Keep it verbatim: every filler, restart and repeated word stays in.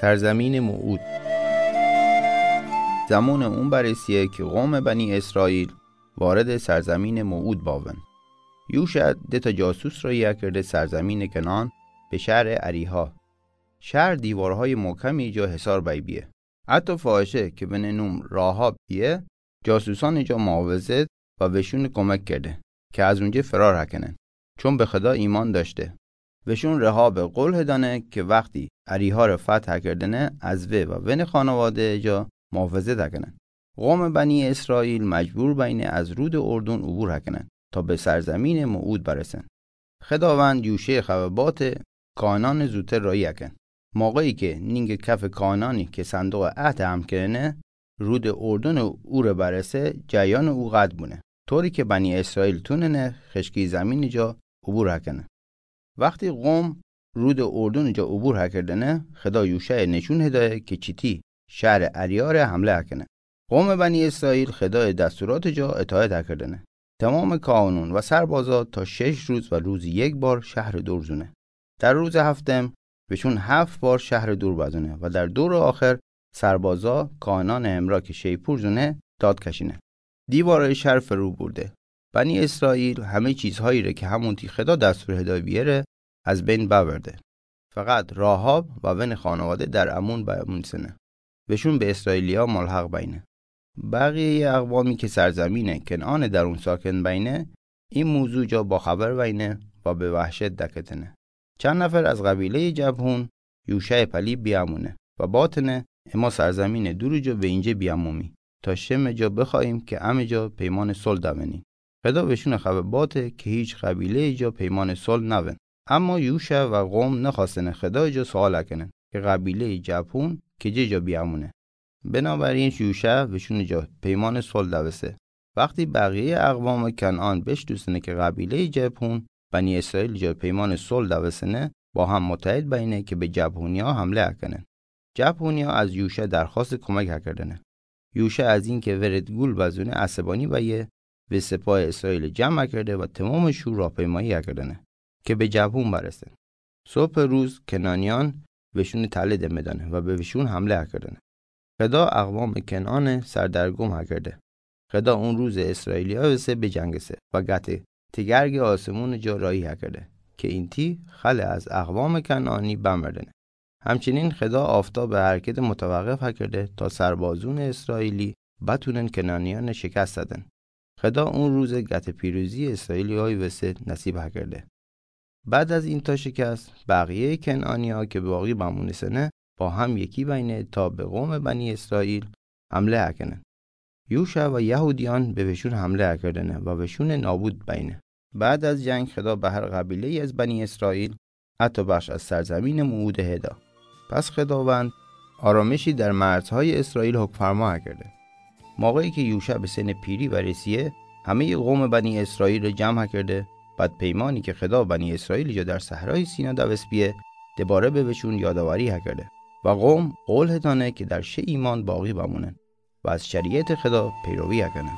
سرزمین موعود. زمان اون برسیه که قوم بنی اسرائیل وارد سرزمین موعود باون. یوشع ده تا جاسوس را یکرده سرزمین کنعان به شهر اریحا. شهر دیوارهای محکمی جا حصار بی بیه. حتی فاحشه که بنه نوم راحاب بیه، جاسوسان جا محافظت و وشون کمک کرده که از اونجه فرار هکنن، چون به خدا ایمان داشته. وشون رحاب قول هدانه که وقتی اریحا را فتح کردنه، از وی و ون خانواده جا محافظت هکنن. قوم بنی اسرائیل مجبور بینه از رود اردن عبور هکنن تا به سرزمین موعود برسن. خداوند یوشع خبه بات کاهنان زودتر رایی هکن. موقعی که نینگ کف کاهنانی که صندوق عهد حمل کرنه رود اردن عبور برسه، جریان او قطع بونه، طوری که بنی اسرائیل توننه خشکی زمین جا عبور هکنه. وقتی قوم رود اردن جا عبور هکردنه، خدا یوشع نشون هدایه که چیتی شهر اریحا ره حمله هکنه. قوم بنی اسرائیل خدای دستورات جا اطاعت هکردنه. تمام کاهنون و سربازا تا شش روز و روز یک بار شهر دور زونه. در روز هفتم وشون هفت بار شهر دور بزونه و در دور آخر سربازا کاهنان همراه که شیپور زونه داد کشینه. دیوارای شهر فرو برده. بنی اسرائیل همه چیزهایی ره که همونتی خدا دستور هدایه بیه ره از بین ببرده. فقط راحاب و ون خانواده در امون بمونسنه. وشون به اسرائیلیا ملحق بینه. بقیهٔ اقوامی که سرزمین کنعان درون ساکن بینه، این موضوع جا باخبر بینه و به وحشت دکتنه. چند نفر از قبیلهٔ جبهون یوشع پلی بیامونه و باتنه: اما سرزمین دور جا به اینجه بیامومی تا شم جا بخواهیم که امه جا پیمان صلح دونیم. خدا وشون خبه باته که هیچ قبیله‌ای جا پیمان صلح نون. اما یوشع و قوم نخواستن خدای جا سوال کنن که قبیلهٔ جبهون کجه جا بیامونه. بنابراین یوشع وشون جا پیمان صلح دوسه. وقتی بقیهٔ اقوام کنعان بشنوسنه که قبیلهٔ جبهون بنی اسرائیل جا پیمان صلح دوسنه، با هم متحد بینه که به جبهونیا حمله کنن. جبهونیا از یوشع درخواست کمک کردنه. یوشع از اینکه ورد گول بزونه عصبانی بیه، و سپاه اسرائیل جمع کرده و تمام شور راهپیمایی کردنه که به جبهون برسن. صبح روز کنعانیان وشون تله دمه دانه و به وشون حمله کردنه. خدا اقوام کنعان سردرگم کرده. خدا اون روز اسرائیلیا وسه بجنگسه و قطع تگرگ آسمون جا رایی کرده که اینتی خل از اقوام کنعانی بمردنه. همچنین خدا آفتاب حرکت متوقف کرده تا سربازون اسرائیلی بتونن کنعانیان شکست دن. خدا اون روز قطع پیروزی اسرائیلیای وسه نصیب کرده. بعد از این تا شکست، بقیهٔ کنعانیا که باقی بمونسنه با هم یکی بینه تا به قوم بنی اسرائیل حمله کنن. یوشع و یهودیان به وشون حمله کردنه و وشون نابود بینه. بعد از جنگ خدا به هر قبیله‌ای از بنی اسرائیل حتی بخش از سرزمین موعود هدا. پس خداوند آرامشی در مرزهای اسرائیل حکم فرما کرده. موقعی که یوشع به سن پیری برسیه، همهٔ قوم بنی اسرائیل را جمع کرده، بعد پیمانی که خدا بنی اسرائیل جا در صحرای سینا دوست بیه، دوباره به وشون یادآوری کرده و قوم قول هدانه که در شه ایمان باقی بمونن و از شریعت خدا پیروی کنن.